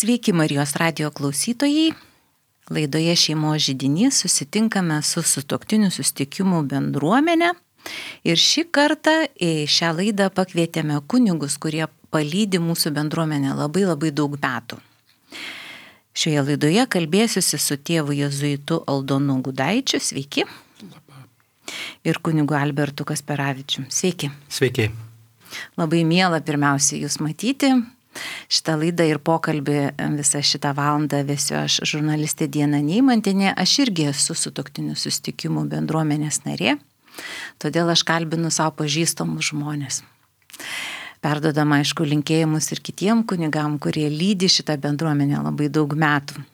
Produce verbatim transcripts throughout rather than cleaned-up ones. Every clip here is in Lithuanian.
Sveiki Marijos radijo klausytojai. Laidoje Šeimos židinys susitinkame su sutuoktinių susitikimų bendruomenė. Ir šį kartą į šią laidą pakvietėme kunigus, kurie palydi mūsų bendruomenę labai labai daug metų. Šioje laidoje kalbėsiuosi su tėvu jėzuitu Aldonu Gudaičiu. Sveiki. Ir kunigu Albertu Kasperavičium. Sveiki. Sveiki. Labai miela pirmiausia jūs matyti. Šitą laidą ir pokalbį visą šitą valandą vesiu aš, žurnalistė Diana Neimantienė. Aš irgi esu sutuoktinių susitikimų bendruomenės narė, todėl aš kalbinu savo pažįstamus žmonės. Perdodama, aišku, linkėjimus ir kitiem kunigam, kurie lydi šitą bendruomenę labai daug metų.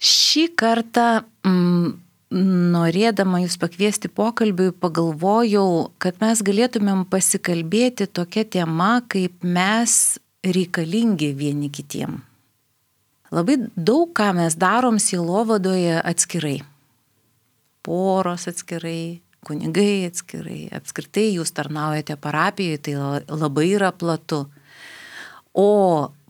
Šį kartą mm, norėdama jūs pakviesti pokalbiui, pagalvojau, kad mes galėtumėm pasikalbėti tokia tema, kaip mes reikalingi vieni kitiem. Labai daug ką mes darom sielovadoje atskirai. Poros atskirai, kunigai atskirai, apskritai jūs tarnaujate parapijoje, tai labai yra platu. O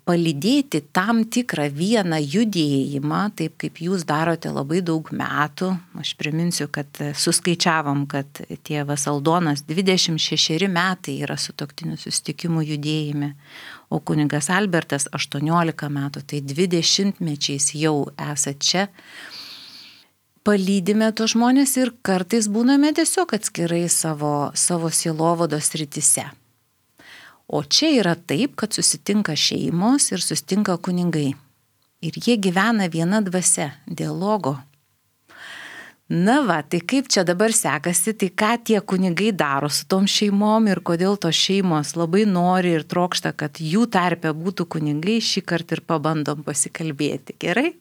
palydėti tam tikrą vieną judėjimą, taip kaip jūs darote labai daug metų. Aš priminsiu, kad suskaičiavom, kad tėvas Aldonas dvidešimt šešeri metai yra sutuoktinių susitikimų judėjime, o kunigas Albertas aštuoniolika metų, tai dvidešimtmečiais jau esat čia. Palydime tos žmonės ir kartais būname tiesiog atskirai savo, savo sielovados srityse. O čia yra taip, kad susitinka šeimos ir susitinka kunigai. Ir jie gyvena viena dvasia, dialogo. Na va, tai kaip čia dabar sekasi, tai ką tie kunigai daro su tom šeimom ir kodėl tos šeimos labai nori ir trokšta, kad jų tarpe būtų kunigai, šį kartą ir pabandom pasikalbėti. Gerai?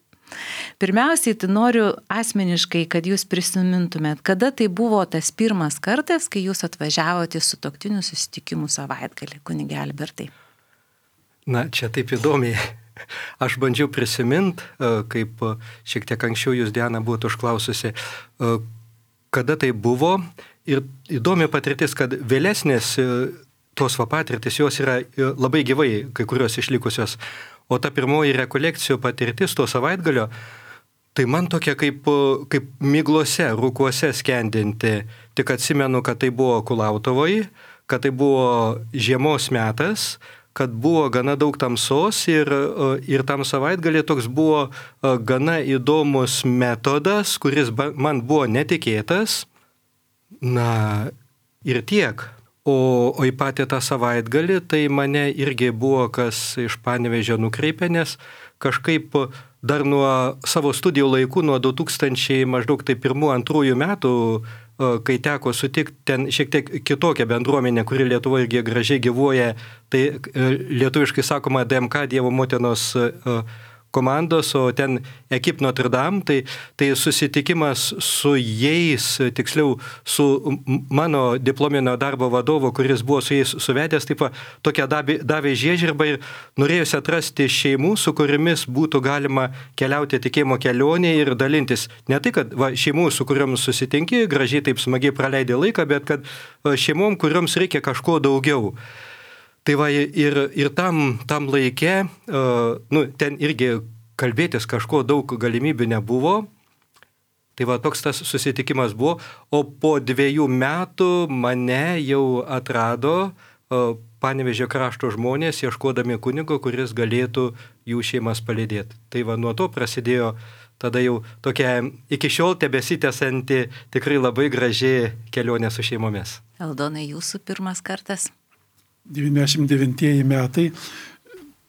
Pirmiausiai, tai noriu asmeniškai, kad jūs prisimintumėt, kada tai buvo tas pirmas kartas, kai jūs atvažiavote į sutuoktinių susitikimų savaitgalį, kunige Albertai. Na, čia taip įdomiai. Aš bandžiau prisiminti, kaip šiek tiek anksčiau jūs, Diana, buvote užklaususi, kada tai buvo. Ir įdomi patirtis, kad vėlesnės tos va patirtis, jos yra labai gyvai, kai kurios išlikusios. O ta pirmoji rekolekcijų patirtis to savaitgalio, tai man tokia kaip, kaip miglose, rūkuose skendinti. Tik atsimenu, kad tai buvo Kulautovoje, kad tai buvo žiemos metas, kad buvo gana daug tamsos ir, ir tam savaitgalį toks buvo gana įdomus metodas, kuris man buvo netikėtas. Na ir tiek. O, o į patį tą savaitgalį, tai mane irgi buvo kas iš Panevėžio nukreipė, nes kažkaip dar nuo savo studijų laikų, nuo du tūkstančiai maždaug tai pirmų antrųjų metų, kai teko sutikti ten šiek tiek kitokią bendruomenę, kuri Lietuvoje irgi gražiai gyvuoja, tai lietuviškai sakoma D M K Dievo motinos komandos, o ten Ekip Notre Dame, tai, tai susitikimas su jais, tiksliau su mano diplominio darbo vadovo, kuris buvo su jais suvedęs, taip va, tokia davė, davė žiežirbą ir norėjusi atrasti šeimų, su kuriamis būtų galima keliauti tikėjimo kelionė ir dalintis. Ne tai, kad va, šeimų, su kuriuom susitinki, gražiai taip smagiai praleidė laiką, bet kad šeimom, kurioms reikia kažko daugiau. Tai va, ir, ir tam, tam laike, uh, nu, ten irgi kalbėtis kažko daug galimybių nebuvo. Tai va, toks tas susitikimas buvo. O po dviejų metų mane jau atrado uh, Panevėžio krašto žmonės, ieškodami kunigo, kuris galėtų jų šeimas palydėti. Tai va, nuo to prasidėjo tada jau tokia iki šiol tebesitęsanti tikrai labai graži kelionė su šeimomis. Aldonai, jūsų pirmas kartas? devyniasdešimt devintieji metai,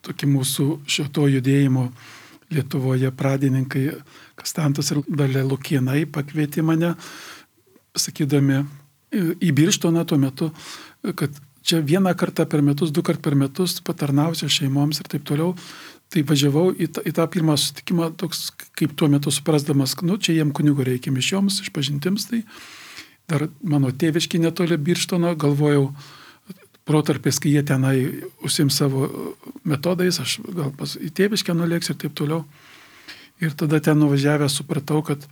tokie mūsų šito judėjimo Lietuvoje pradininkai Kastantas ir Dalia Lukienai pakvietė mane, sakydami į Birštoną tuo metu, kad čia vieną kartą per metus, du kart per metus patarnausiu šeimoms ir taip toliau. Tai važiavau į tą, į tą pirmą susitikimą, toks kaip tuo metu suprasdamas, nu, čia jiem kunigo reikia mišioms, išpažintims, tai dar mano tėviški netoli Birštono, galvojau, protarpės, kai jie tenai užsim savo metodais, aš gal pas į tėviškę nulėksiu ir taip toliau. Ir tada ten nuvažiavęs supratau, kad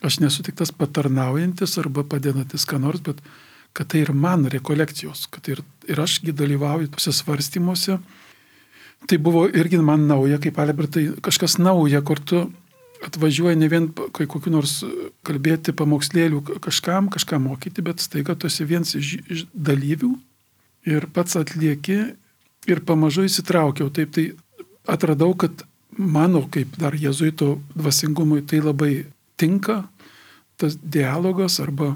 aš nesu tik tas patarnaujantis arba padedantis ką nors, bet kad tai ir man rekolekcijos, kad ir, ir ašgi dalyvauju tose svarstymuose. tai buvo irgi man nauja, kaip Albertai, kažkas nauja, kur tu atvažiuoji ne vien kai kokiu nors kalbėti pamokslėlių kažkam, kažką mokyti, bet staiga tu esi vienas iš, iš dalyvių ir pats atlieki ir pamažu įsitraukiau. Taip tai atradau, kad mano kaip dar jėzuito dvasingumui tai labai tinka, tas dialogas arba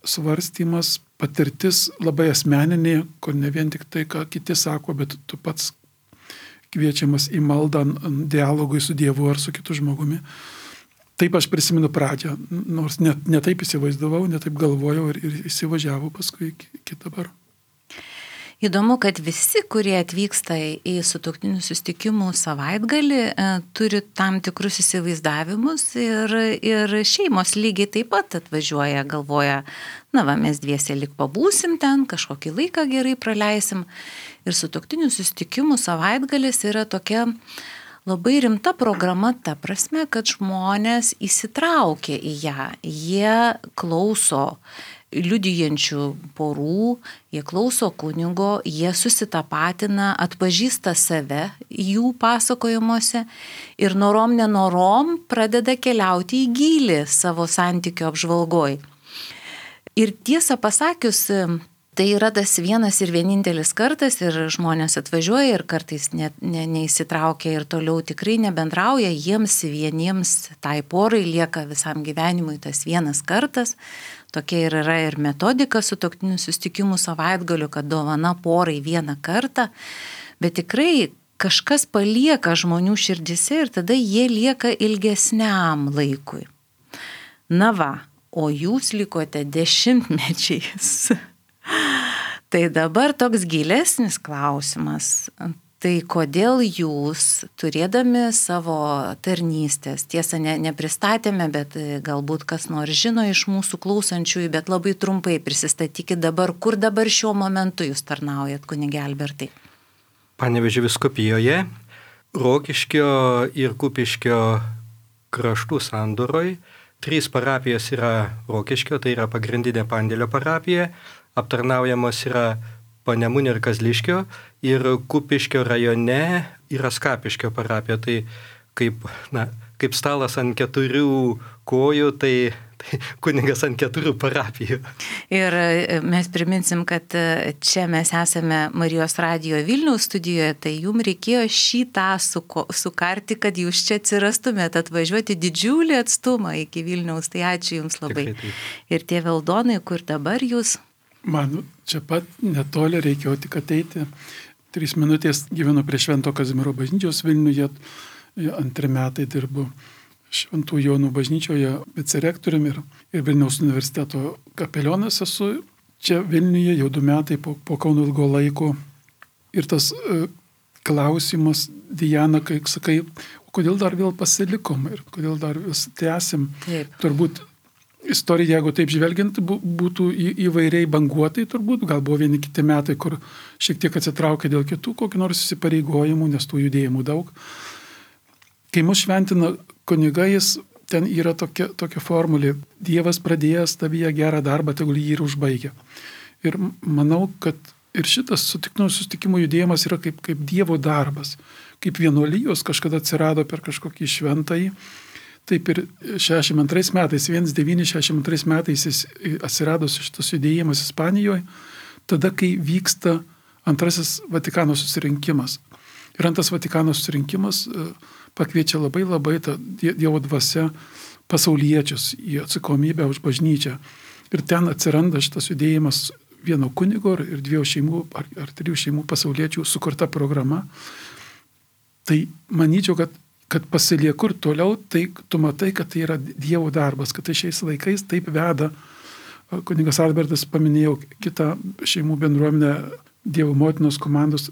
svarstymas, patirtis labai asmeninė, kur ne vien tik tai, ką kiti sako, bet tu pats kviečiamas į maldą, dialogui su Dievu ar su kitu žmogumi. Taip aš prisimenu pradžią, nors net ne taip įsivaizdavau, ne taip galvojau ir, ir įsivažiavau paskui iki, iki dabar. Įdomu, kad visi, kurie atvyksta į sutuoktinių susitikimų savaitgalį, turi tam tikrus įsivaizdavimus ir, ir šeimos lygiai taip pat atvažiuoja, galvoja, na va, mes dviese lik pabūsim ten, kažkokį laiką gerai praleisim. Ir sutuoktinių susitikimų savaitgalis yra tokia labai rimta programa ta prasme, kad žmonės įsitraukia į ją, jie klauso liudijančių porų, jie klauso kunigo, jie susitapatina, atpažįsta save jų pasakojimuose ir norom nenorom pradeda keliauti į gylį savo santykio apžvalgoj. Ir tiesą pasakius, tai yra tas vienas ir vienintelis kartas ir žmonės atvažiuoja ir kartais ne, ne, neįsitraukia ir toliau tikrai nebendrauja, jiems vieniems tai porai lieka visam gyvenimui tas vienas kartas. Tokia ir yra ir metodika sutuoktinių susitikimų savaitgalių, kad dovana porai vieną kartą, bet tikrai kažkas palieka žmonių širdise ir tada jie lieka ilgesniam laikui. Na va, o jūs likote dešimtmečiais. Tai dabar toks gilesnis klausimas. Tai kodėl jūs, turėdami savo tarnystės, tiesa, ne, nepristatėme, bet galbūt kas nors žino iš mūsų klausančiųjų, bet labai trumpai prisistatykit dabar, kur dabar šiuo momentu jūs tarnaujat, kunige Albertai? Panevėžio vyskupijoje, Rokiškio ir Kupiškio kraštų sandūroj. Trys parapijos yra Rokiškio, tai yra pagrindinė Pandėlio parapija, aptarnaujamos yra Panemunė ir Kazliškio ir Kupiškio rajone yra Skapiškio parapija. Tai kaip, na, kaip stalas ant keturių kojų, tai, tai kunigas ant keturių parapijų. Ir mes priminsim, kad čia mes esame Marijos radijo Vilniaus studijoje, tai jums reikėjo šitą suko, sukarti, kad jūs čia atsirastumėte, atvažiuoti didžiulį atstumą iki Vilniaus. Tai ačiū jums labai. Tikrai, ir tie Valdonai, kur dabar jūs? Man čia pat netoli reikėjo tik ateiti. Trys minutės gyvenu prie Švento Kazimiero bažnyčios Vilniuje, antri metai dirbu Šventų Jonų bažnyčioje vicerektoriumi ir, ir Vilniaus universiteto kapelionas esu čia Vilniuje jau du metai po, po Kauno ilgo laiko. Ir tas uh, klausimas, Diana, kai sakai, kodėl dar vėl pasilikom ir kodėl dar vis tęsim, turbūt istorija, jeigu taip žvelgiant, būtų įvairiai banguotai turbūt, gal buvo vieni kiti metai, kur šiek tiek atsitraukė dėl kitų kokių nors įsipareigojimų, nes tų judėjimų daug. Kai mus šventina kunigais, ten yra tokia, tokia formulė, Dievas pradėjęs tavyje gerą darbą, tegul jį ir užbaigia. Ir manau, kad ir šitas sutiktinų susitikimų judėjimas yra kaip, kaip Dievo darbas, kaip vienuolijos kažkada atsirado per kažkokį šventąjį. Taip ir šešiasdešimt antrais metais, devyniolika šešiasdešimt antrais metais jis atsirado šitas judėjimas Ispanijoje, tada, kai vyksta antrasis Vatikano susirinkimas. Ir antras Vatikano susirinkimas pakviečia labai labai tą Dievo dvasia pasauliečius į atsakomybę už bažnyčią. Ir ten atsiranda šitas judėjimas vieno kunigo ir dviejų šeimų ar, ar trijų šeimų pasauliečių sukurta programa. Tai manyčiau, kad kad pasilieku ir toliau, tai tu matai, kad tai yra Dievo darbas, kad tai šiais laikais taip veda. Kunigas Albertas paminėjo kitą šeimų bendruomenę Dievo motinos komandos.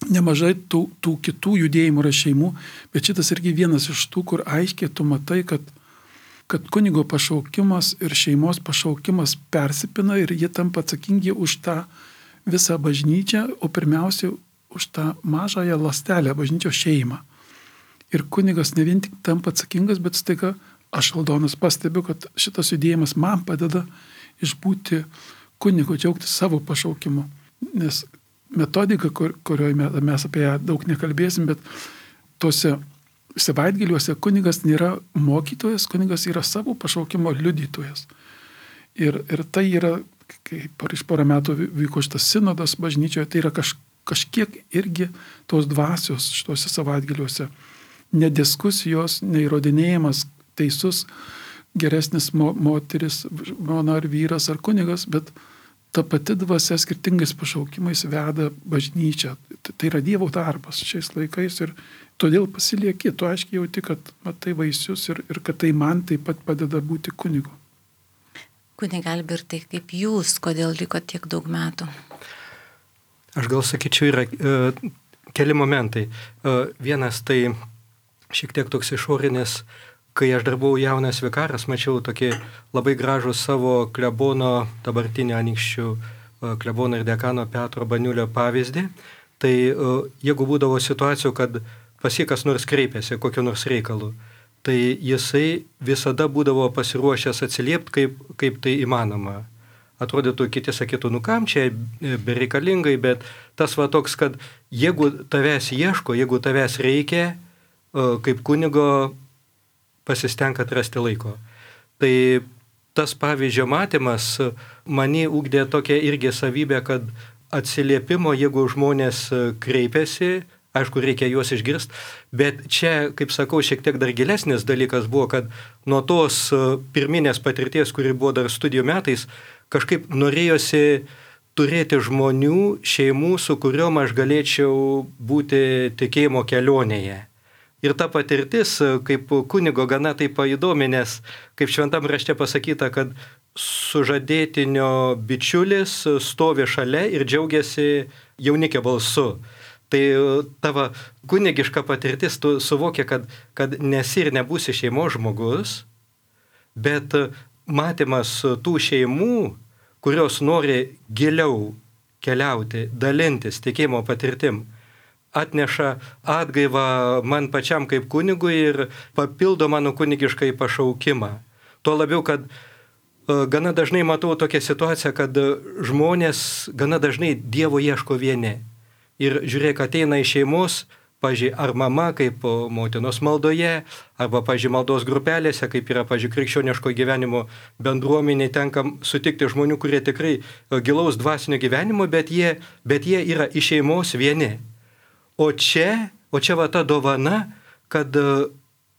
Nemažai tų, tų kitų judėjimų yra šeimų, bet šitas irgi vienas iš tų, kur aiškiai tu matai, kad, kad kunigo pašaukimas ir šeimos pašaukimas persipina ir jie tampa atsakingi už tą visą bažnyčią, o pirmiausia už tą mažąją ląstelę, bažnyčios šeimą. Ir kunigas ne vien tik tampa atsakingas, bet staiga aš, Valdonas, pastebiu, kad šitas judėjimas man padeda išbūti kunigo, džiaugtis savo pašaukimu. Nes metodika, kur, kurioje mes apie ją daug nekalbėsim, bet tuose savaitgaliuose kunigas nėra mokytojas, kunigas yra savo pašaukimo liudytojas. Ir, ir tai yra, kaip prieš porą metų vyko šitas sinodas bažnyčioje, tai yra kaž, kažkiek irgi tos dvasios šituose savaitgaliuose. Ne diskusijos, ne įrodinėjimas teisus, geresnis mo, moteris, mona ar vyras ar kunigas, bet ta pati dvasia skirtingais pašaukimais veda bažnyčią. Tai, tai yra Dievo darbas šiais laikais ir todėl pasilieki, tu aiškiai jauti, kad matai vaisius ir, ir kad tai man taip pat padeda būti kunigu. Kunige Albertai, kaip jūs, kodėl liko tiek daug metų? Aš gal sakyčiau, yra e, keli momentai. E, vienas tai šiek tiek toks išorinis, kai aš dar buvau jaunas vikaras, mačiau tokį labai gražų savo klebono, dabartinio Anykščių e, klebono ir dekano Petro Baniulio pavyzdį. Tai e, jeigu būdavo situacijų, kad pas jį kas nors kreipėsi kokiu nors reikalu, tai jisai visada būdavo pasiruošęs atsiliepti, kaip, kaip tai įmanoma. Atrodytų, kiti sakytų, nu kam čia bereikalingai, bet tas va toks, kad jeigu tavęs ieško, jeigu tavęs reikia, kaip kunigo pasistenk atrasti laiko. Tai tas pavyzdžio matymas mane ugdė tokią irgi savybę, kad atsiliepimo, jeigu žmonės kreipiasi, aišku, reikia juos išgirsti, bet čia, kaip sakau, šiek tiek dar gilesnis dalykas buvo, kad nuo tos pirminės patirties, kuri buvo dar studijų metais, kažkaip norėjosi turėti žmonių, šeimų, su kuriuom aš galėčiau būti tikėjimo kelionėje. Ir ta patirtis, kaip kunigo, gana taip įdomi, nes kaip šventam rašte pasakyta, kad sužadėtinio bičiulis stovi šalia ir džiaugiasi jaunikio balsu. Tai tavo kunigiška patirtis, tu suvokia, kad, kad nesi ir nebūsi šeimos žmogus, bet matymas tų šeimų, kurios nori giliau keliauti, dalintis tikėjimo patirtim, atneša atgaivą man pačiam kaip kunigui ir papildo mano kunigiškai pašaukimą. Tuo labiau, kad gana dažnai matau tokią situaciją, kad žmonės gana dažnai Dievo ieško vieni. Ir žiūrėk, ateina iš šeimos, pavyzdžiui, ar mama kaip motinos maldoje, arba, pavyzdžiui, maldos grupelėse, kaip yra, pavyzdžiui, krikščioniško gyvenimo bendruomenė, tenka sutikti žmonių, kurie tikrai gilaus dvasinio gyvenimo, bet jie, bet jie yra iš šeimos vieni. O čia, o čia va ta dovana, kad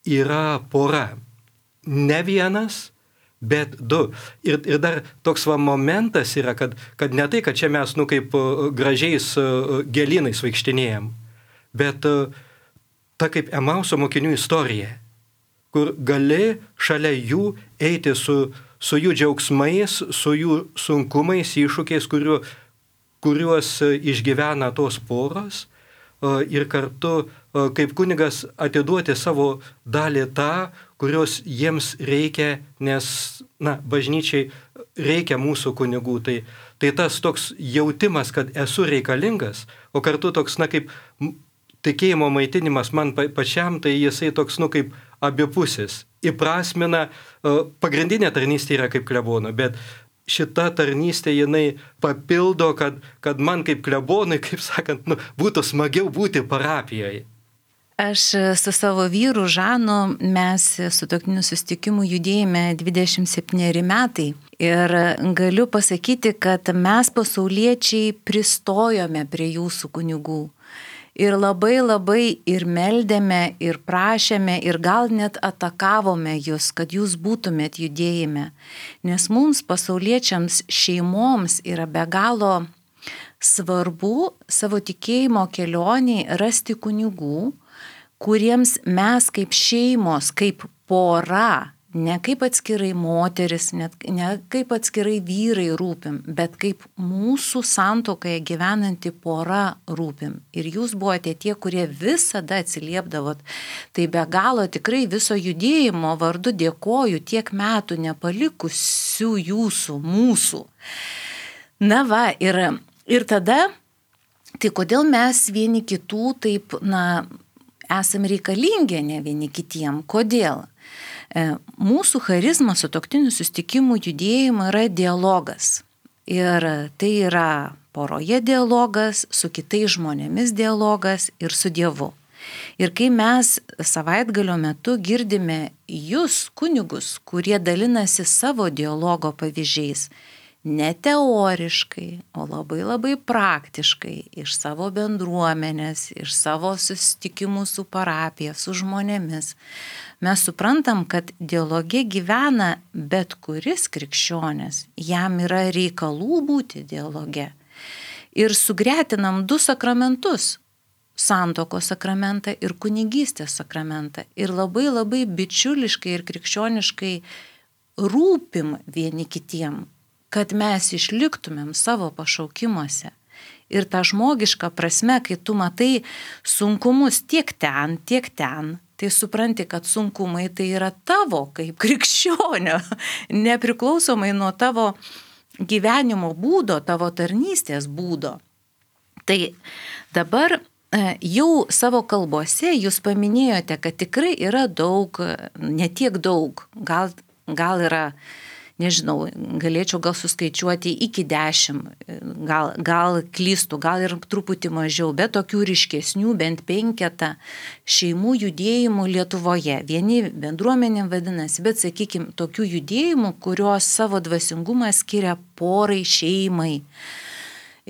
yra pora. Ne vienas, bet du. Ir, ir dar toks va momentas yra, kad, kad ne tai, kad čia mes, nu, kaip gražiais gėlynais vaikštinėjom, bet ta kaip Emauso mokinių istorija, kur gali šalia jų eiti su, su jų džiaugsmais, su jų sunkumais, iššūkiais, kuriuo, kuriuos išgyvena tos poros, ir kartu kaip kunigas atiduoti savo dalį tą, kurios jiems reikia, nes, na, bažnyčiai reikia mūsų kunigų. Tai, tai tas toks jautimas, kad esu reikalingas, o kartu toks, na, kaip tikėjimo maitinimas man pačiam, tai jisai toks, nu, kaip abipusis. Įprasmina, pagrindinė tarnystė yra kaip klebono, bet šita tarnystė jinai papildo, kad, kad man kaip klebonui, kaip sakant, nu, būtų smagiau būti parapijoje. Aš su savo vyru Žanu, mes su tokiu susitikimu judėjime dvidešimt septyneri metai. Ir galiu pasakyti, kad mes pasauliečiai pristojome prie jūsų kunigų. Ir labai labai ir meldėme, ir prašėme, ir gal net atakavome jūs, kad jūs būtumėt judėjime. Nes mums pasauliečiams šeimoms yra be galo svarbu savo tikėjimo kelioniai rasti kunigų, kuriems mes kaip šeimos, kaip pora, ne kaip atskirai moteris, net, ne kaip atskirai vyrai rūpim, bet kaip mūsų santuokoje gyvenanti pora rūpim. Ir jūs buvote tie, kurie visada atsiliepdavot. Tai be galo tikrai viso judėjimo vardu dėkoju tiek metų nepalikusių jūsų, mūsų. Na va, ir, ir tada, tai kodėl mes vieni kitų taip, na, esam reikalingi ne vieni kitiem? Kodėl? Mūsų charizma sutuoktinių susitikimų judėjimo yra dialogas. Ir tai yra poroje dialogas, su kitais žmonėmis dialogas ir su Dievu. Ir kai mes savaitgalio metu girdime jūs, kunigus, kurie dalinasi savo dialogo pavyzdžiais, ne teoriškai, o labai labai praktiškai, iš savo bendruomenės, iš savo susitikimų su parapija, su žmonėmis, mes suprantam, kad dialoge gyvena bet kuris krikščionis, jam yra reikalų būti dialoge. Ir sugretinam du sakramentus - santuokos sakramentą ir kunigystės sakramentą. Ir labai labai bičiuliškai ir krikščioniškai rūpim vieni kitiem, kad mes išliktumėm savo pašaukimuose. Ir ta žmogiška prasme, kai tu matai sunkumus tiek ten, tiek ten, tai supranti, kad sunkumai tai yra tavo kaip krikščionio, nepriklausomai nuo tavo gyvenimo būdo, tavo tarnystės būdo. Tai dabar jau savo kalbose jūs paminėjote, kad tikrai yra daug, ne tiek daug, gal, gal yra, nežinau, galėčiau gal suskaičiuoti iki dešimt, gal, gal klystų, gal ir truputį mažiau, bet tokių ryškesnių, bent penketą šeimų judėjimų Lietuvoje. Vieni bendruomenėm vadinasi, bet sakykime, tokių judėjimų, kurios savo dvasingumą skiria porai, šeimai.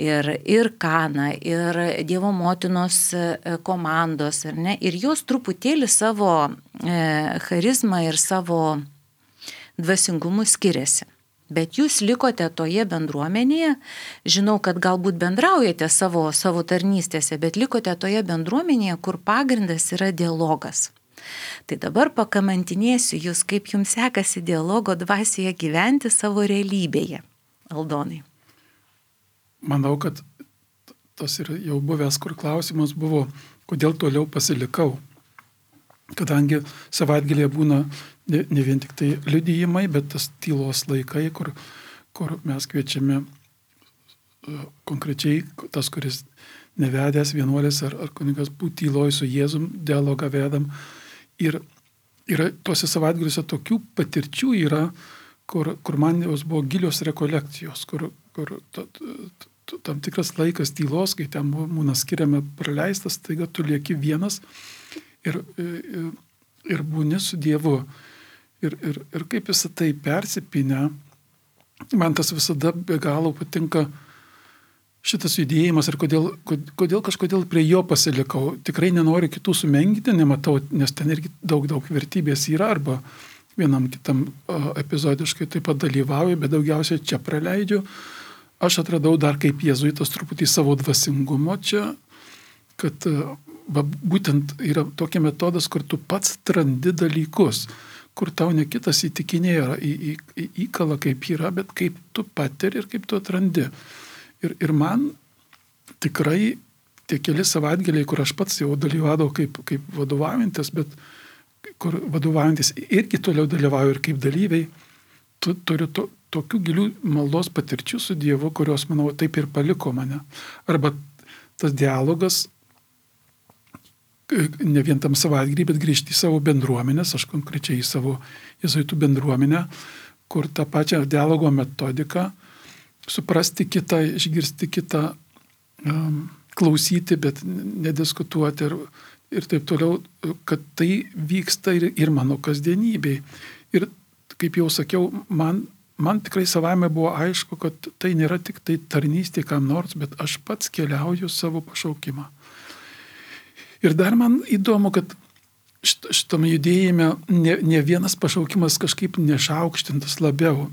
Ir, ir Kana, ir Dievo motinos komandos, ar ne? Ir jos truputėlį savo e, charizmą ir savo dvasingumu skiriasi. Bet jūs likote toje bendruomenėje, žinau, kad galbūt bendraujate savo, savo tarnystėse, bet likote toje bendruomenėje, kur pagrindas yra dialogas. Tai dabar pakamantinėsiu jūs, kaip jums sekasi dialogo dvasioje gyventi savo realybėje, Aldonai. Manau, kad tas ir jau buvęs, kur klausimas buvo, kodėl toliau pasilikau. Kadangi savaitgalėje būna ne, ne vien tik tai liudijimai, bet tas tylos laikai, kur, kur mes kviečiame uh, konkrečiai tas, kuris nevedęs vienuolis ar, ar kunigas būti tyloj su Jėzum, dialogą vedam. Ir yra tuose savaitgaliuose tokių patirčių yra, kur, kur man jos buvo gilios rekolekcijos, kur, kur ta, ta, tam tikras laikas tylos, kai ten būna skiriame praleistas, taiga tu lieki vienas ir, ir, ir būni su Dievu. Ir, ir, ir kaip visą tai persipinę, man tas visada be galo patinka šitas judėjimas ir kodėl, kodėl kažkodėl prie jo pasilikau. Tikrai nenoriu kitų sumenkinti, nematau, nes ten irgi daug, daug vertybės yra, arba vienam kitam epizodiškai taip pat dalyvauju, bet daugiausiai čia praleidžiu. Aš atradau dar kaip jėzuitas truputį savo dvasingumo čia, kad va, būtent yra tokia metodas, kur tu pats atrandi dalykus, kur tau ne kitas įtikinėja, į, į, į, įkala kaip yra, bet kaip tu patiri ir kaip tu atrandi. Ir, ir man tikrai tie keli savaitgaliai, kur aš pats jau dalyvavau kaip, kaip vadovaujantis, bet kur vadovaujantis irgi toliau dalyvauju ir kaip dalyviai, tu turiu to, tokių gilių maldos patirčių su Dievu, kurios, manau, taip ir paliko mane. Arba tas dialogas, ne vien tam savaitgalį, bet grįžti į savo bendruomenės, aš konkrečiai į savo jėzuitų bendruomenę, kur tą pačią dialogo metodiką, suprasti kitą, išgirsti kitą, um, klausyti, bet nediskutuoti ir, ir taip toliau, kad tai vyksta ir, ir mano kasdienybėj. Ir kaip jau sakiau, man Man tikrai savaime buvo aišku, kad tai nėra tik tai tarnystė kam nors, bet aš pats keliauju savo pašaukimą. Ir dar man įdomu, kad šitame judėjime ne, ne vienas pašaukimas kažkaip nešaukštintas labiau.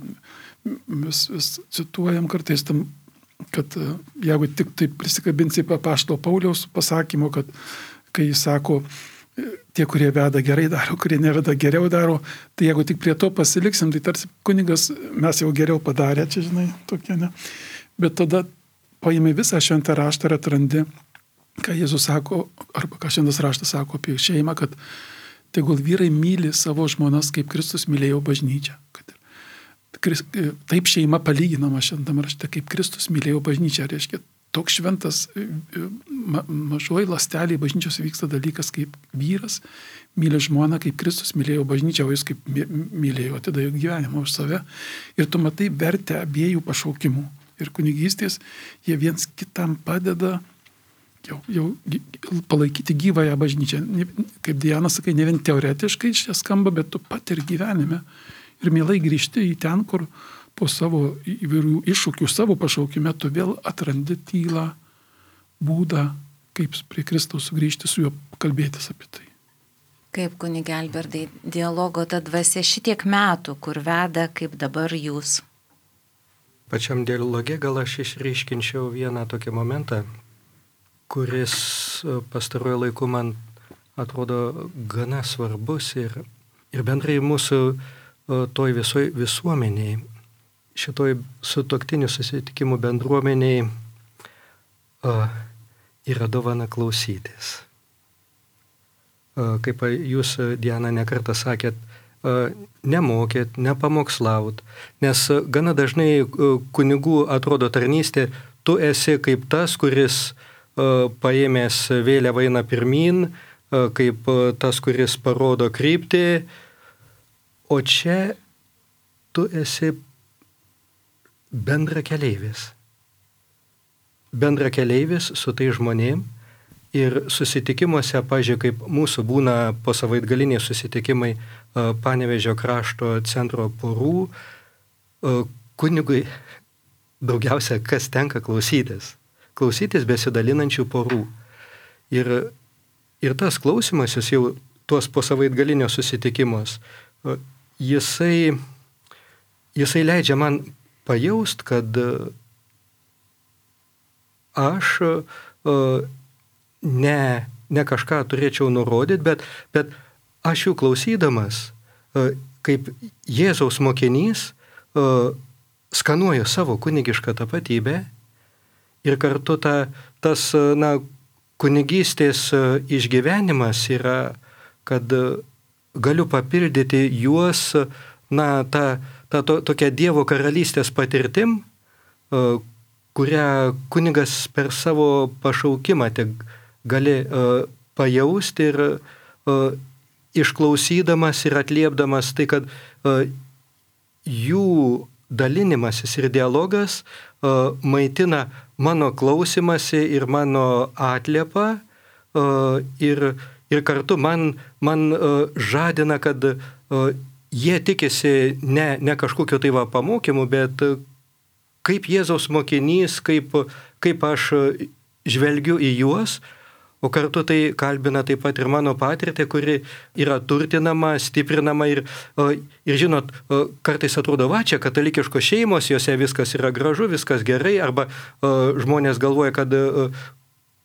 Mes vis cituojam kartais tam, kad jeigu tik taip prisikabinsi apaštalo Pauliaus pasakymo, kad kai jis sako, tie, kurie veda gerai daro, kurie neveda geriau daro, tai jeigu tik prie to pasiliksim, tai tarsi kunigas mes jau geriau padarė, čia žinai, tokie, ne. Bet tada paimi visą šventą raštą ir atrandi, ką Jėzus sako, arba ką šventas raštas sako apie šeimą, kad tegul vyrai myli savo žmonas, kaip Kristus mylėjo bažnyčią. Kad taip šeima palyginama šventame rašte, kaip Kristus mylėjo bažnyčią, reiškia, toks šventas ma, mažoji ląstelėje bažnyčios vyksta dalykas, kaip vyras myli žmoną, kaip Kristus mylėjo bažnyčią, o jis kaip mylėjo, atidavė gyvenimą už save. Ir tu matai vertę abiejų pašaukimų. ir kunigystės, jie viens kitam padeda jau, jau palaikyti gyvąją bažnyčią. Kaip Diana sakai, ne vien teoretiškai čia skamba, bet tu pat ir gyvenime. Ir mielai grįžti į ten, kur po savo įvairių iššūkių, savo pašaukime, tu vėl atrandi tylą, būdą, kaip prie Kristaus sugrįžti, su juo kalbėtis apie tai. Kaip, kunige Albertai, dialogo ta dvasia šitiek metų, kur veda, kaip dabar jūs? Pačiam dialoge gal aš išryškinčiau vieną tokį momentą, kuris pastaruoju laiku man atrodo gana svarbus ir, ir bendrai mūsų toj visoj visuomeniai, šitoj sutuoktinių susitikimų bendruomeniai yra dovana klausytis. Kaip jūs, Diana, nekartą sakėt, nemokėt, nepamokslaut, nes gana dažnai kunigų atrodo tarnystė, tu esi kaip tas, kuris paėmęs vėliavą eina pirmyn, kaip tas, kuris parodo kryptį, o čia tu esi bendrakeleivis. Bendrakeleivis su tai žmonėm ir susitikimuose, pažiūrėjau, kaip mūsų būna po savaitgaliniai susitikimai Panevėžio krašto centro porų, kunigui daugiausia kas tenka klausytis. Klausytis besidalinančių porų. Ir, ir tas klausimasis jau tuos po savaitgalinio susitikimus, jisai, jisai leidžia man pajaust, kad aš ne, ne kažką turėčiau nurodyti, bet, bet aš jų klausydamas, kaip Jėzaus mokinys, skanuoju savo kunigišką tapatybę ir kartu ta, tas na, kunigystės išgyvenimas yra, kad galiu papildyti juos na, ta, ta to, tokia Dievo karalystės patirtim, kurią kunigas per savo pašaukimą tik gali uh, pajausti ir uh, išklausydamas ir atliepdamas tai, kad uh, jų dalinimasis ir dialogas uh, maitina mano klausimąsi ir mano atliepą uh, ir, ir kartu man, man uh, žadina, kad uh, jie tikisi ne, ne kažkokio tai va pamokymų, bet uh, kaip Jėzaus mokinys, kaip, kaip aš žvelgiu į juos, o kartu tai kalbina taip pat ir mano patirtį, kuri yra turtinama, stiprinama ir, ir žinot, kartais atrodo, va, čia katalikiškos šeimos, jose viskas yra gražu, viskas gerai, arba žmonės galvoja, kad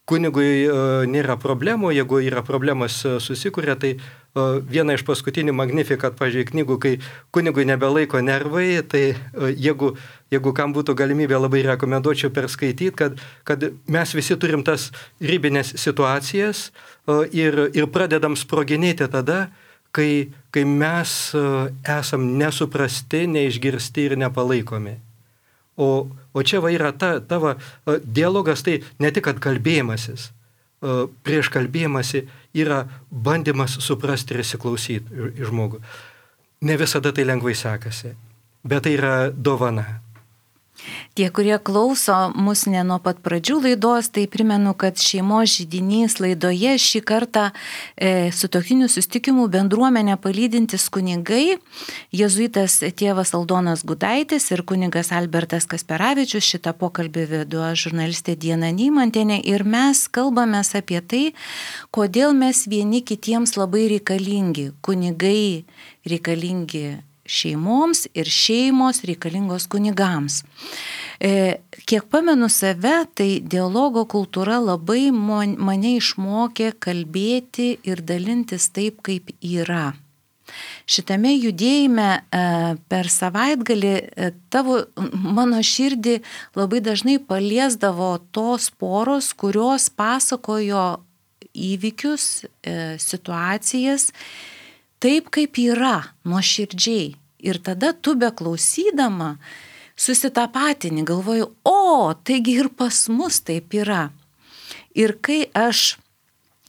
kunigui nėra problemų, jeigu yra problemas susikuria, tai viena iš paskutinių Magnificat, pažiūrėjau, knygų, kai kunigui nebelaiko nervai, tai jeigu, jeigu kam būtų galimybė, labai rekomenduočiau perskaityti, kad, kad mes visi turim tas ribinės situacijas ir, ir pradedam sproginėti tada, kai, kai mes esam nesuprasti, neišgirsti ir nepalaikomi. O, o čia va yra ta, tavo dialogas, tai ne tik kad kalbėjimasis, prieš kalbėjimąsi yra bandymas suprasti ir įsiklausyti į žmogų. Ne visada tai lengvai sekasi, bet tai yra dovana. Tie, kurie klauso mus ne nuo pat pradžių laidos, tai primenu, kad šeimos židinys laidoje šį kartą e, sutuoktinių susitikimų bendruomenę palydintis kunigai, jėzuitas tėvas Aldonas Gudaitis ir kunigas Albertas Kasperavičius. Šitą pokalbį vedu aš, žurnalistė Diana Nymantienė, ir mes kalbamės apie tai, kodėl mes vieni kitiems labai reikalingi. Kunigai reikalingi šeimoms ir šeimos reikalingos kunigams. E, kiek pamenu save, tai dialogo kultūra labai mane išmokė kalbėti ir dalintis taip, kaip yra. Šitame judėjime e, per savaitgalį e, tavo, mano širdį labai dažnai paliesdavo tos poros, kurios pasakojo įvykius, e, situacijas, taip kaip yra, nuoširdžiai. Ir tada tu beklausydama susitapatini, galvoju, o, taigi ir pas mus taip yra. Ir kai aš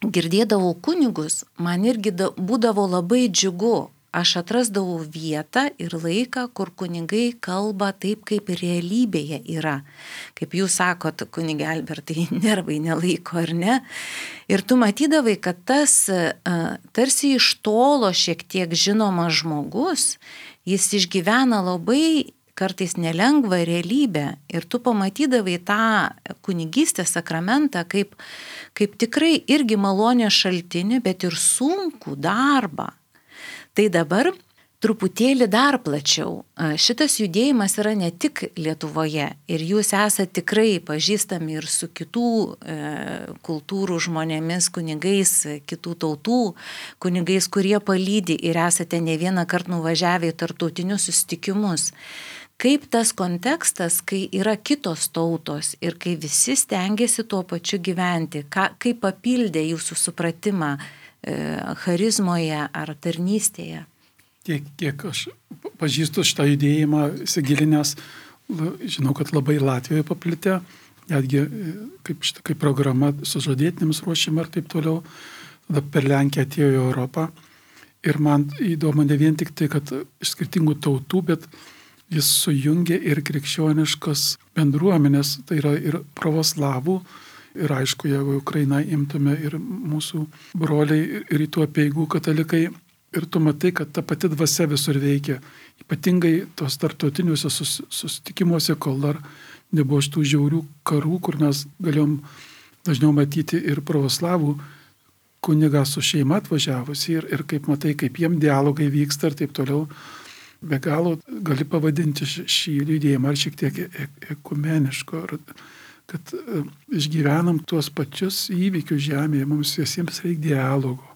girdėdavau kunigus, man irgi būdavo labai džiugu, aš atrasdavau vietą ir laiką, kur kunigai kalba taip, kaip realybėje yra. Kaip jūs sakot, kunigė Albertai, nervai nelaiko, ar ne? Ir tu matydavai, kad tas tarsi iš tolo šiek tiek žinomas žmogus, jis išgyvena labai kartais nelengvą realybę ir tu pamatydavai tą kunigystės sakramentą kaip, kaip tikrai irgi malonės šaltinį, bet ir sunkų darbą. Tai dabar truputėlį dar plačiau. Šitas judėjimas yra ne tik Lietuvoje ir jūs esate tikrai pažįstami ir su kitų e, kultūrų žmonėmis, kunigais, kitų tautų kunigais, kurie palydi ir esate ne vieną kartą nuvažiavę į tarptautinius susitikimus. Kaip tas kontekstas, kai yra kitos tautos ir kai visi stengiasi tuo pačiu gyventi, ką, kaip papildė jūsų supratimą e, charizmoje ar tarnystėje? Kiek, kiek aš pažįstu šitą judėjimą, įsigilinęs, žinau, kad labai Latvijoje paplitę, netgi kaip, šitą, kaip programa sužadėtinėms ruošima ir taip toliau, tada per Lenkiją atėjo į Europą. Ir man įdomu ne vien tik tai, kad iš skirtingų tautų, bet jis sujungia ir krikščioniškas bendruomenės, tai yra ir pravoslavų, ir aišku, jeigu Ukrainą imtume ir mūsų broliai rytų apeigų katalikai, ir tu matai, kad ta pati dvasia visur veikia, ypatingai tos tarptautiniuose sus, susitikimuose, kol dar nebuvo šitų žiaurių karų, kur mes galėjom dažniau matyti ir pravoslavų kunigą su šeima atvažiavusi ir, ir kaip matai, kaip jiem dialogai vyksta ir taip toliau. Be galo gali pavadinti šį judėjimą ar šiek tiek ekumeniško, kad išgyvenam tuos pačius įvykius žemėje, mums visiems reikia dialogo.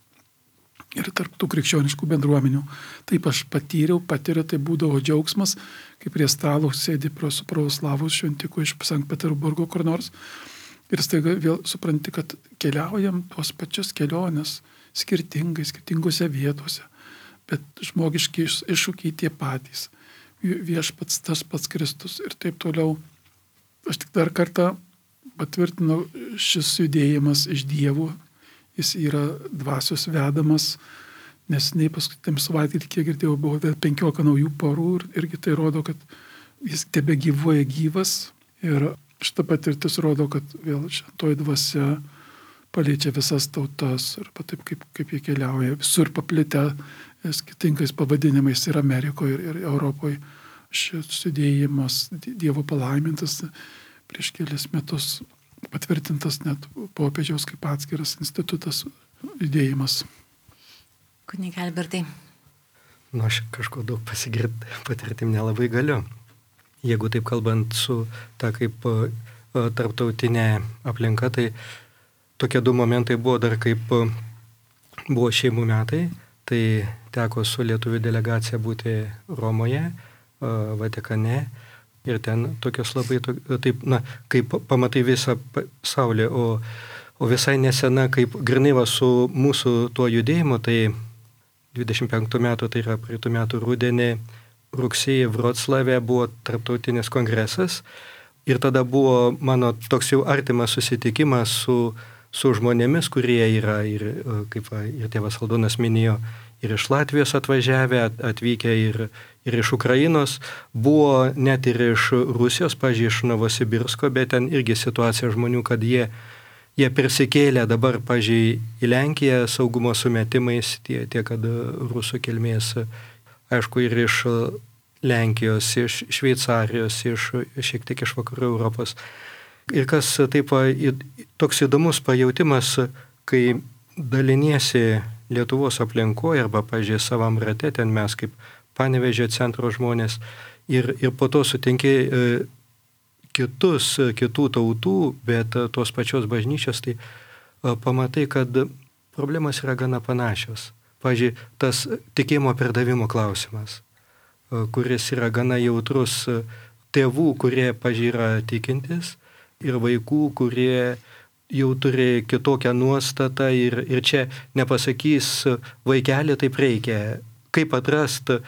Ir tarp tų krikščioniškų bendruomenių. Taip aš patyriau, patiriu, tai būdavo džiaugsmas, kai prie stalo sėdi su pravoslavų šventiku iš Sankt Peterburgo kur nors. Ir staiga vėl supranti, kad keliaujam tuos pačius keliones skirtingai, skirtingose vietose. Bet žmogiški iššūkiai tie patys. Viešpats tas pats Kristus ir taip toliau. Aš tik dar kartą patvirtinau, šis judėjimas iš Dievo, jis yra dvasios vedamas, nes nei paskutiniam savaitgalį, kiek girdėjau, buvo penkiolika naujų porų ir irgi tai rodo, kad jis tebe gyvuoja gyvas ir šita patirtis rodo, kad vėl šventoji dvasia paliečia visas tautas ir taip kaip, kaip jie keliauja, visur paplitę skirtingais pavadinimais ir Amerikoje, ir, ir Europoje. Šis judėjimas Dievo palaimintas prieš kelias metus patvirtintas net popiežiaus kaip atskiras institutas judėjimas. Kunigė Albertai. Nu, aš kažko daug pasigirti patirtim nelabai galiu. Jeigu taip kalbant su ta kaip uh, tarptautinė aplinka, tai tokie du momentai buvo dar kaip uh, buvo šeimų metai. Tai teko su lietuvių delegacija būti Romoje, Vatikane ir ten tokios labai, taip, na, kaip pamatai visą pasaulį, o, o visai nesena, kaip grinai va su mūsų tuo judėjimu, tai dvidešimt penktų metų, tai yra praeitų metų rudenį, rugsėjį Vroclave buvo tarptautinis kongresas ir tada buvo mano toks jau artimas susitikimas su su žmonėmis, kurie yra ir, kaip ir tėvas Aldonas minėjo, ir iš Latvijos atvažiavę, atvykę ir, ir iš Ukrainos, buvo net ir iš Rusijos, pavyzdžiui, iš Novosibirsko, bet ten irgi situacija žmonių, kad jie, jie persikėlė dabar, pavyzdžiui, į Lenkiją saugumo sumetimais, tie, tie kad rusų kilmės, aišku, ir iš Lenkijos, iš Šveicarijos, iš šiek tiek iš vakarų Europos. Ir kas taip toks įdomus pajautimas, kai daliniesi Lietuvos aplinkoje arba, pažiūrėjau, savam rate, ten mes kaip Panevėžio centro žmonės ir, ir po to sutinki e, kitus, kitų tautų, bet tos pačios bažnyčios, tai e, pamatai, kad problemas yra gana panašios. Pavyzdžiui, tas tikėjimo perdavimo klausimas, e, kuris yra gana jautrus tėvų, kurie, pavyzdžiui, yra tikintis, ir vaikų, kurie jau turi kitokią nuostatą ir, ir čia nepasakys vaikelį taip reikia. Kaip atrasti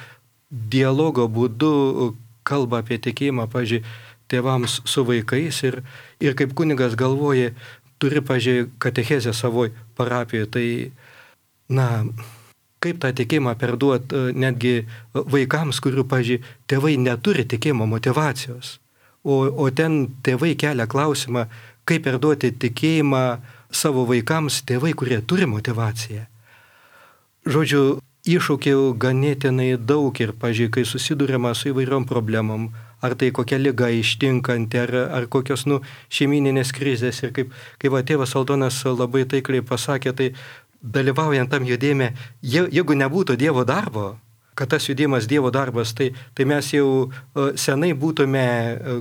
dialogo būdu kalbą apie tikėjimą, pavyzdžiui, tėvams su vaikais ir, ir kaip kunigas galvoja, turi, pavyzdžiui, katechezę savoj parapijoje, tai, na, kaip tą tikėjimą perduoti netgi vaikams, kurių, pažiūrėjau, tėvai neturi tikėjimo motivacijos. O, o ten tėvai kelia klausimą, kaip perduoti tikėjimą savo vaikams tėvai, kurie turi motivaciją. Žodžiu, iššūkių ganėtinai daug ir, pažiūrėjau, kai susidūrėma su įvairiom problemom, ar tai kokia liga ištinkanti, ar, ar kokios nu, šeimininės krizės. Ir kaip, kaip va, tėvas Aldonas labai taikliai pasakė, tai dalyvaujant tam judėjime, je, jeigu nebūtų Dievo darbo, kad tas judėjimas Dievo darbas, tai, tai mes jau senai būtume,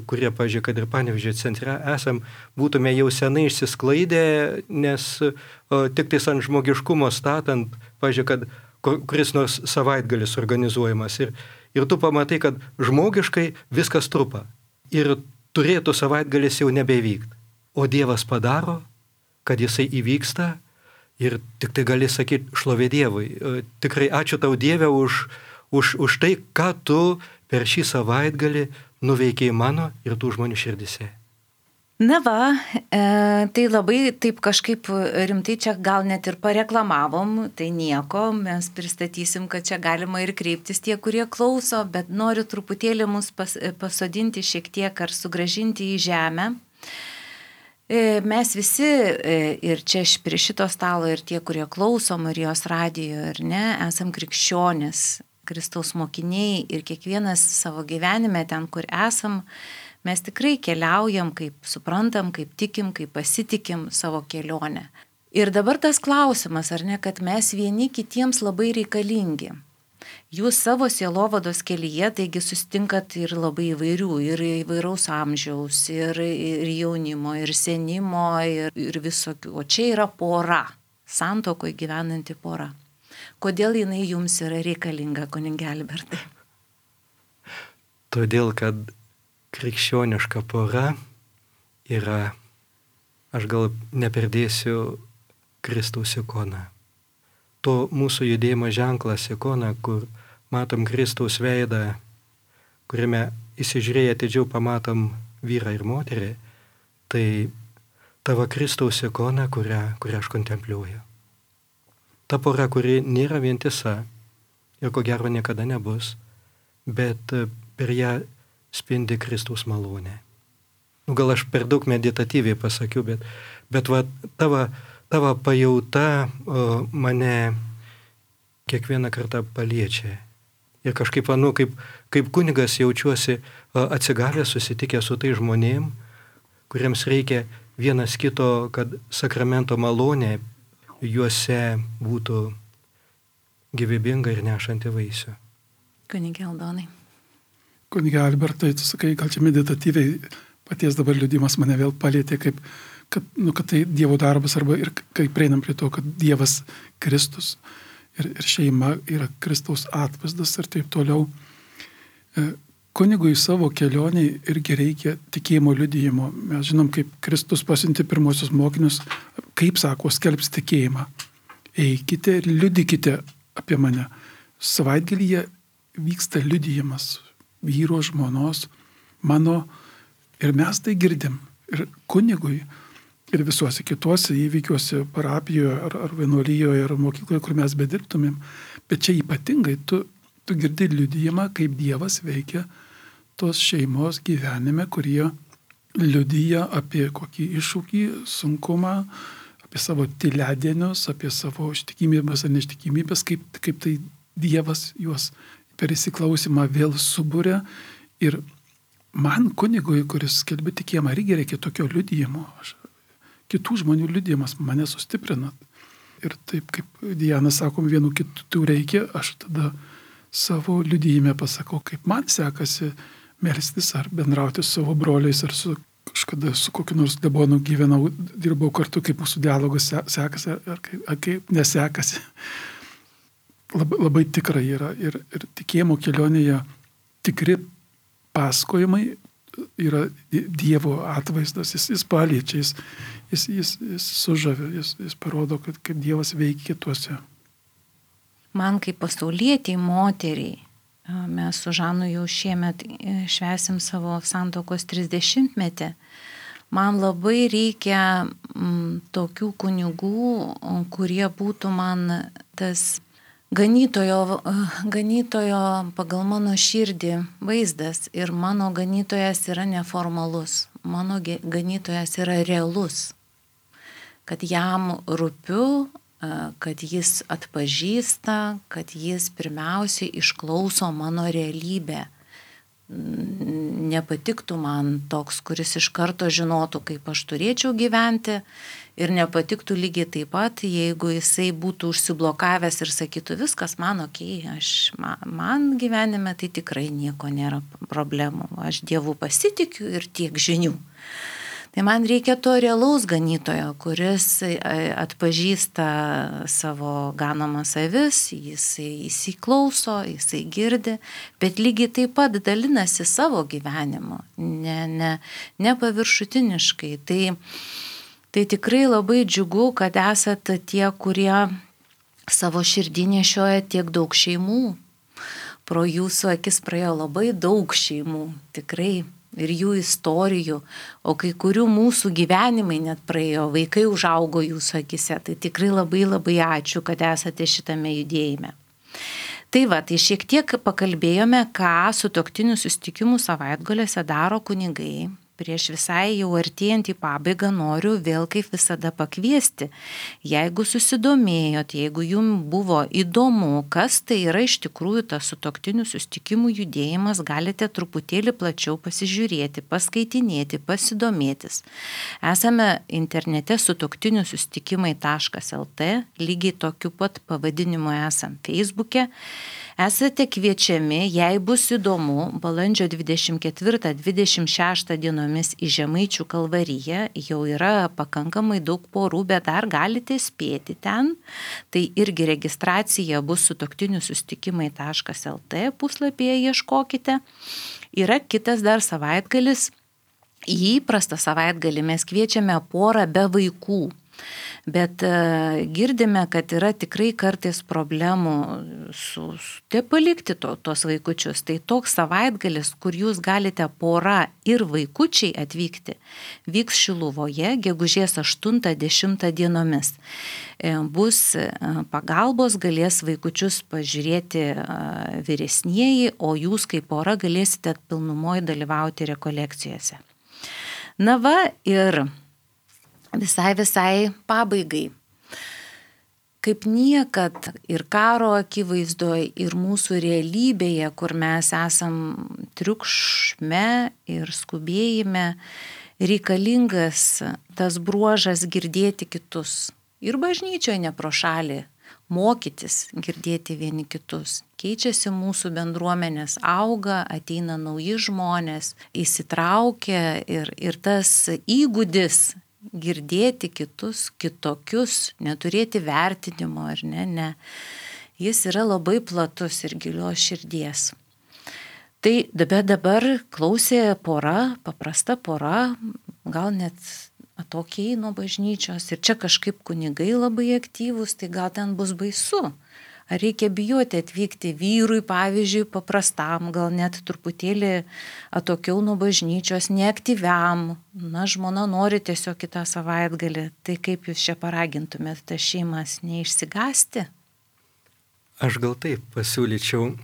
kurie, pažiūrėjau, kad ir Panevėžio centre esam, būtume jau senai išsisklaidę, nes o, tik tais ant žmogiškumo statant, pažiūrėjau, kad kuris nors savaitgalis organizuojamas. Ir, ir tu pamatai, kad žmogiškai viskas trupa. Ir turėtų savaitgalis jau nebevykti. O Dievas padaro, kad jisai įvyksta ir tik tai gali sakyti šlovė Dievui. Tikrai ačiū tau Dieve už, už, už tai, ką tu per šį savaitgalį nuveikiai mano ir tų žmonių širdise. Na va, e, tai labai taip kažkaip rimtai čia gal net ir pareklamavom, tai nieko, mes pristatysim, kad čia galima ir kreiptis tie, kurie klauso, bet noriu truputėlį mus pas, pasodinti šiek tiek ar sugražinti į žemę. E, mes visi e, ir čia prie šito stalo ir tie, kurie klauso Marijos radijo ir ne, esam krikščionys, Kristaus mokiniai ir kiekvienas savo gyvenime ten, kur esam, mes tikrai keliaujam, kaip suprantam, kaip tikim, kaip pasitikim savo kelionę. Ir dabar tas klausimas, ar ne, kad mes vieni kitiems labai reikalingi. Jūs savo sielovados kelyje, taigi susitinkat ir labai įvairių, ir įvairaus amžiaus, ir, ir jaunimo, ir senimo, ir, ir visokių. O čia yra pora, santuokoje gyvenanti pora. Kodėl jinai jums yra reikalinga, kunige Albertai? Todėl, kad krikščioniška pora yra, aš gal neperdėsiu, Kristaus ikona. To mūsų judėjimo ženklas ikona, kur matom Kristaus veidą, kuriame įsižiūrėję atidžiau pamatom vyrą ir moterį, tai tavo Kristaus ikona, kurią, kurią aš kontempliuoju. Ta pora, kuri nėra vientisa ir ko gero niekada nebus, bet per ją spindi Kristaus malonė. Nu, gal aš per daug meditatyviai pasakiau, bet, bet va, tavo, tavo pajauta o, mane kiekvieną kartą paliečia. Ir kažkaip, nu, kaip, kaip kunigas jaučiuosi o, atsigavęs, susitikęs su tai žmonėm, kuriems reikia vienas kito, kad sakramento malonė juose būtų gyvybinga ir nešanti vaisių. Kunige Aldonai. Kunige Albertai, tu sakai, gal čia meditatyviai paties dabar liudimas mane vėl palėtė, kaip, kad, nu, kad tai Dievo darbas, arba ir kai prieinam prie to, kad Dievas Kristus ir, ir šeima yra Kristaus atvaizdas ir taip toliau. Kunigui savo kelioniai irgi reikia tikėjimo liudijimo. Mes žinom, kaip Kristus pasiuntė pirmosius mokinius, kaip sako, skelbs tikėjimą. Eikite ir liudykite apie mane. Savaitgalyje vyksta liudijimas vyro, žmonos, mano, ir mes tai girdim. Ir kunigui, ir visuose kituose įvykiuose, parapijoje, ar, ar vienuolijoje, ar mokykloje, kur mes bedirbtumėm. Bet čia ypatingai tu, tu girdi liudijimą, kaip Dievas veikia tos šeimos gyvenime, kurie liudija apie kokį iššūkį, sunkumą, apie savo tyledienius, apie savo ištikimybės ar neištikimybės, kaip, kaip tai Dievas juos per įsiklausimą vėl subūrė. Ir man kunigui, kuris skelbia tikėjimą, irgi reikia tokio liudijimo. Aš, kitų žmonių liudijimas mane sustiprina. Ir taip kaip Diana sakom, vienų kitų reikia, aš tada savo liudijime pasakau, kaip man sekasi melstis ar bendrauti su savo broliais, ar su kažkada su kokiu nors klebonu gyvenau, dirbau kartu, kaip mūsų dialogas sekasi, ar kaip, ar kaip nesekasi. Labai, labai tikrai yra. Ir, ir tikėjimo kelionėje tikri pasakojimai yra Dievo atvaizdas, jis, jis paliečia, jis, jis, jis, jis sužavė, jis, jis parodo, kad, kad Dievas veikia kituose. Man kaip pasaulietiai moteriai, mes su Žanu jau šiemet švęsim savo santuokos trisdešimtmetį, man labai reikia m, tokių kunigų, kurie būtų man tas ganytojo, ganytojo pagal mano širdį vaizdas ir mano ganytojas yra neformalus, mano ganytojas yra realus, kad jam rūpiu, kad jis atpažįsta, kad jis pirmiausiai išklauso mano realybę. Nepatiktų man toks, kuris iš karto žinotų, kaip aš turėčiau gyventi, ir nepatiktų lygiai taip pat, jeigu jisai būtų užsiblokavęs ir sakytų, viskas man okei, aš, man, man gyvenime tai tikrai nieko nėra problemų, aš Dievu pasitikiu ir tiek žinių. Tai man reikia to realaus ganytojo, kuris atpažįsta savo ganomas avis, jisai įsiklauso, jisai girdi, bet lygiai taip pat dalinasi savo gyvenimu, ne, ne, ne paviršutiniškai. Tai, tai tikrai labai džiugu, kad esate tie, kurie savo širdį nešioja tiek daug šeimų. Pro jūsų akis praėjo labai daug šeimų, tikrai. Ir jų istorijų, o kai kurių mūsų gyvenimai net praėjo, vaikai užaugo jūsų akise, tai tikrai labai labai ačiū, kad esate šitame judėjime. Tai va, tai šiek tiek pakalbėjome, ką sutuoktinių susitikimų savaitgaliuose daro kunigai. Prieš visai jau artėjant į pabaigą noriu vėl kaip visada pakviesti. Jeigu susidomėjot, jeigu jums buvo įdomu, kas tai yra iš tikrųjų tas sutuoktinių susitikimų judėjimas, galite truputėlį plačiau pasižiūrėti, paskaitinėti, pasidomėtis. Esame internete sutuoktinių susitikimai taškas lt, lygiai tokiu pat pavadinimu esam Facebook'e. Esate kviečiami, jei bus įdomu, balandžio dvidešimt ketvirtą dvidešimt šeštą dienomis į Žemaičių Kalvariją, jau yra pakankamai daug porų, bet dar galite spėti ten. Tai irgi registracija bus sutuoktinių susitikimai taškas lt puslapyje, ieškokite. Yra kitas dar savaitgalis, į įprastą savaitgalį mes kviečiame porą be vaikų. Bet uh, girdime, kad yra tikrai kartais problemų su, su te palikti to, tos vaikučius. Tai toks savaitgalis, kur jūs galite pora ir vaikučiai atvykti, vyks Šiluvoje gegužės aštuntą dešimtą dienomis. E, bus pagalbos, galės vaikučius pažiūrėti uh, vyresnieji, o jūs kaip pora galėsite pilnumoj dalyvauti rekolekcijose. Na va ir visai visai pabaigai. Kaip niekad ir karo akivaizdoje, ir mūsų realybėje, kur mes esam triukšme ir skubėjime, reikalingas tas bruožas girdėti kitus. Ir bažnyčioje ne pro šalį mokytis girdėti vieni kitus. Keičiasi mūsų bendruomenės, auga, ateina nauji žmonės, įsitraukia ir, ir tas įgūdis girdėti kitus, kitokius, neturėti vertinimo, ar ne, ne. Jis yra labai platus ir gilios širdies. Tai dabar, dabar klausė pora, paprasta pora, gal net atokiai nuo bažnyčios, ir čia kažkaip kunigai labai aktyvūs, tai gal ten bus baisu. Ar reikia bijoti atvykti vyrui, pavyzdžiui, paprastam, gal net truputėlį atokiau nuo bažnyčios, neaktyviam. Na, žmona nori tiesiog kitą savaitgalį. Tai kaip jūs čia paragintumėt tas šeimas neišsigąsti? Aš gal taip pasiūlyčiau,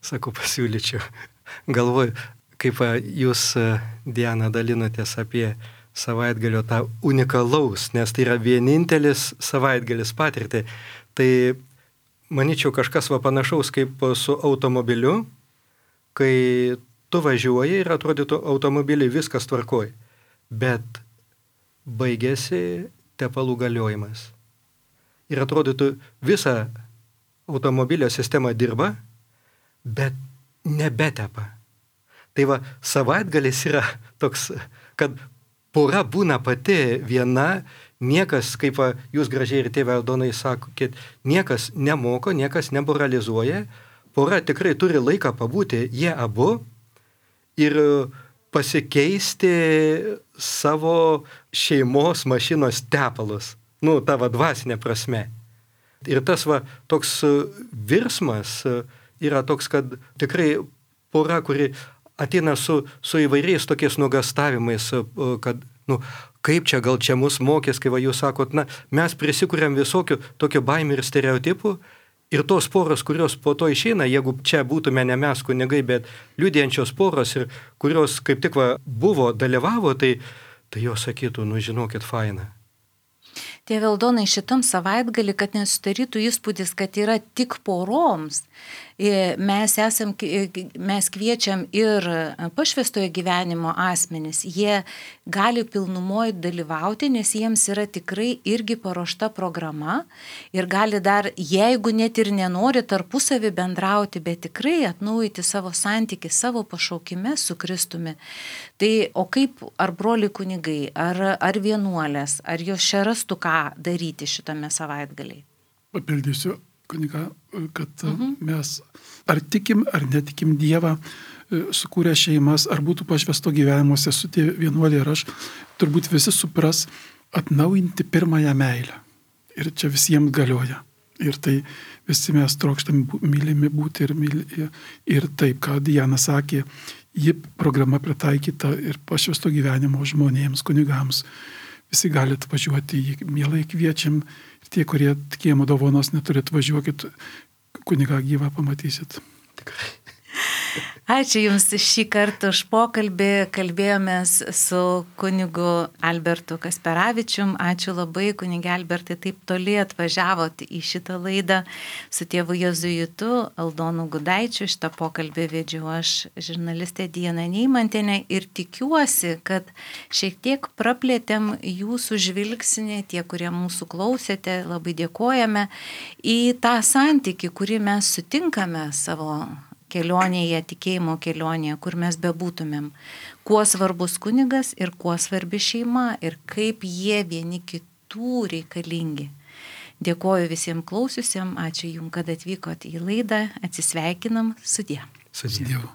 sakau pasiūlyčiau, galvoju, kaip jūs, Diana, dalinotės apie savaitgalio tą unikalaus, nes tai yra vienintelis savaitgalis patirti. Tai manyčiau, kažkas va panašaus kaip su automobiliu, kai tu važiuoji ir atrodytų automobiliai viskas tvarkoj, bet baigėsi tepalų galiojimas. Ir atrodytų visa automobilio sistema dirba, bet nebetepa. Tai va, savaitgalis yra toks, kad pora būna pati viena, niekas, kaip va, jūs gražiai ir tėvė Aldonai sakokit, niekas nemoko, niekas nemoralizuoja, pora tikrai turi laiką pabūti, jie abu, ir pasikeisti savo šeimos mašinos tepalus, nu, tavo dvasinė prasme. Ir tas va, toks virsmas yra toks, kad tikrai pora, kuri ateina su, su įvairiais tokiais nuogastavimais, kad, nu, kaip čia, gal čia mus mokės, kai va jūs sakot, na, mes prisikuriam visokių tokių baimių ir stereotipų, Ir tos poros, kurios po to išeina, jeigu čia būtume ne mes kunigai, bet liudijančios poros, ir kurios kaip tik va, buvo, dalyvavo, tai, tai jos sakytų, nu žinokit, faina. Tėve Aldonai, šitam savaitgalį, kad nesudarytų įspūdis, kad yra tik poroms, mes, esam, mes kviečiam ir pašvęstojo gyvenimo asmenis. Jie gali pilnumoje dalyvauti, nes jiems yra tikrai irgi paruošta programa ir gali dar, jeigu net ir nenori tarpusavį bendrauti, bet tikrai atnaujyti savo santykį, savo pašaukime su Kristumi. Tai o kaip, ar broliai kunigai, ar, ar vienuolės, ar jos čia rastų ką daryti šitame savaitgaliai? Papildysiu, kuniga, kad Mhm. mes ar tikim, ar netikim Dievą, sukūrę šeimas, ar būtų pašvęsto gyvenimuose su tie vienuoliai ir aš, turbūt visi supras atnaujinti pirmąją meilę. Ir čia visiems galioja. Ir tai visi mes trokštame mylimi būti ir, myli, ir taip, ką Diana sakė, ji programa pritaikyta ir pašvęsto gyvenimo žmonėms, kunigams. Visi galite važiuoti, mielai kviečiam. Ir tie, kurie tikėjimo dovanos neturit, važiuokit, kunigą gyvą pamatysit. Tikrai. Ačiū Jums šį kartą už pokalbį. Kalbėjomės su kunigu Albertu Kasperavičium. Ačiū labai, kunigė Albertai, taip toli atvažiavot į šitą laidą su tėvu Jėzuitu Aldonu Gudaičiu. Šitą pokalbį vedžiau aš, žurnalistė Diana Neimantienė, ir tikiuosi, kad šiek tiek praplėtėm jūsų žvilgsnį, tie, kurie mūsų klausėte, labai dėkojame, į tą santykį, kurį mes sutinkame savo kelionėje, tikėjimo kelionėje, kur mes bebūtumėm. Kuo svarbus kunigas ir kuo svarbi šeima ir kaip jie vieni kitų reikalingi. Dėkoju visiems klausiusiems, ačiū Jums, kad atvykot į laidą, atsisveikinam, sudie. Sudie. Dievu.